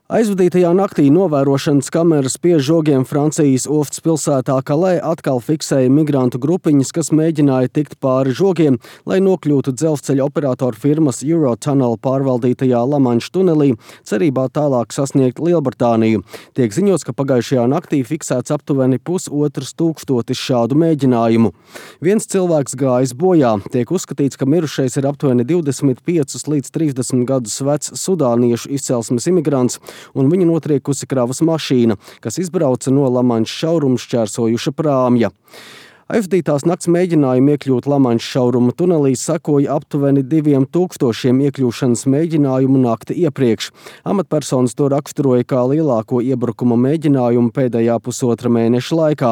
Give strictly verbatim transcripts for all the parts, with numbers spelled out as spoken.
Aizvadītajā naktī novērošanas kameras pie žogiem Francijas ostas pilsētā Calais atkal fiksēja migrantu grupiņas, kas mēģināja tikt pāri žogiem, lai nokļūtu dzelzceļa operatoru firmas Eurotunnel pārvaldītajā Lamanša tunelī, cerībā tālāk sasniegt Lielbritāniju. Tiek ziņots, ka pagājušajā naktī fiksēts aptuveni pusotrs tūkstotis šādu mēģinājumu. Viens cilvēks gājis bojā. Tiek uzskatīts, ka mirušais ir aptuveni divdesmit piecus līdz trīsdesmit gadus vecs sudāniešu izcelsmes imigrants, un viņu notriekusi kravas mašīna, kas izbrauca no Lamanša šauruma šķērsojuša prāmja. Aizvadītās nakts mēģinājumi iekļūt Lamanša šauruma tunelī sekoja aptuveni diviem tūkstošiem iekļūšanas mēģinājumu nakti iepriekš. Amatpersonas to raksturoja kā lielāko iebrukuma mēģinājumu pēdējā pusotra mēneša laikā.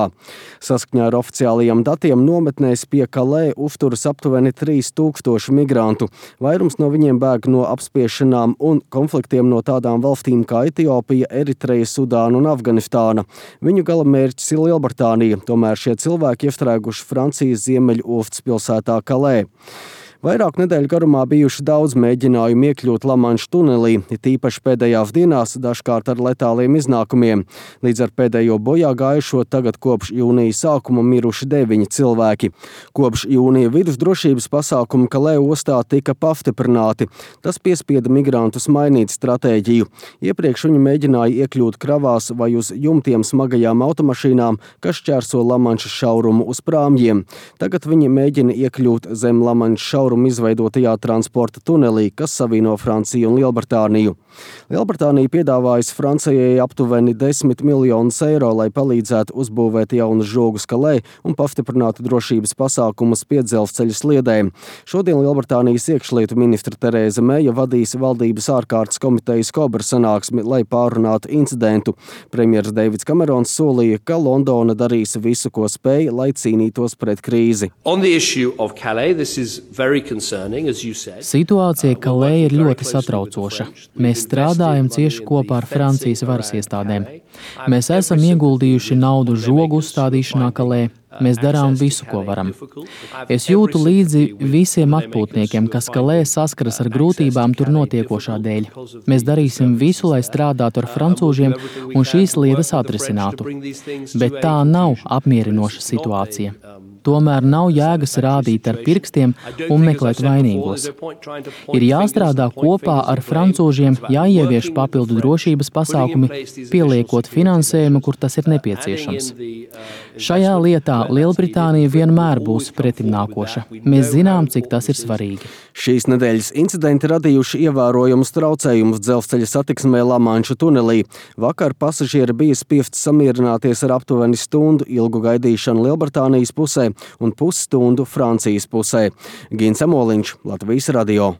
Saskaņā ar oficiālajiem datiem nometnēs pie Calais uzturas aptuveni trīs tūkstoši migrantu. Vairums no viņiem bēg no apspiešanām un konfliktiem no tādām valstīm kā Etiopija, Eritreja, Sudāna un Afganistāna. Viņu galamērķis ir Lielbritānija, tomēr šie cilvēki iestrēguši Francijas ziemeļu ostas pilsētā Calais. Vairāk nedēļu garumā bijuši daudz mēģinājumu iekļūt Lamanša tunelī, it īpaši pēdējās dienās, dažkārt ar letāliem iznākumiem. Līdz ar pēdējo bojā gājušo tagad kopš jūnija sākuma miruši deviņi cilvēki. Kopš jūnija vidus drošības pasākumi Calais ostā tika pastiprināti. Tas piespieda migrantus mainīt stratēģiju. Iepriekš viņi mēģināja iekļūt kravās vai uz jumtiem smagajām automašīnām, kas šķērso Lamanša šaurumu uz prāmjiem. Tagad viņi mēģina iekļūt zem Lamanša šaurumu izveidotajā transporta tunelī, kas savieno Franciju un Lielbritāniju. Lielbritānija piedāvājas Francijai aptuveni desmit miljonus eiro, lai palīdzētu uzbūvēt jaunus žogus Calais un pastiprinātu drošības pasākumus pie dzelzceļa sliedēm. Šodien Lielbritānijas iekšlietu ministra Terēza Meja vadīs valdības ārkārtas komitejas Kobra sanāksmi, lai pārunātu incidentu. Premjers Deivids Kamerons solīja, ka Londona darīs visu, ko spēj, lai cīnītos pret krīzi. Situācija Calais ir ļoti satraucoša. Mēs strādājam cieši kopā ar Francijas varas iestādēm. Mēs esam ieguldījuši naudu žogu uzstādīšanā Calais. Mēs darām visu, ko varam. Es jūtu līdzi visiem atpūtniekiem, kas Calais saskaras ar grūtībām tur notiekošā dēļ. Mēs darīsim visu, lai strādātu ar francūžiem un šīs lietas atrisinātu. Bet tā nav apmierinoša situācija. Tomēr nav jēgas rādīt ar pirkstiem un meklēt vainīgos. Ir jāstrādā kopā ar francūžiem, jāievieš papildu drošības pasākumi, pieliekot finansējumu, kur tas ir nepieciešams. Šajā lietā Lielbritānija vienmēr būs pretimnākoša. Mēs zinām, cik tas ir svarīgi. Šīs nedēļas incidenti radījuši ievērojumus traucējumus dzelzceļa satiksmē Lamanša tunelī. Vakar pasažieri bija spiests samierināties ar aptuveni stundu ilgu gaidīšanu Lielbritānijas pusē un pusstundu Francijas pusē. Gins Amoliņš, Latvijas radio.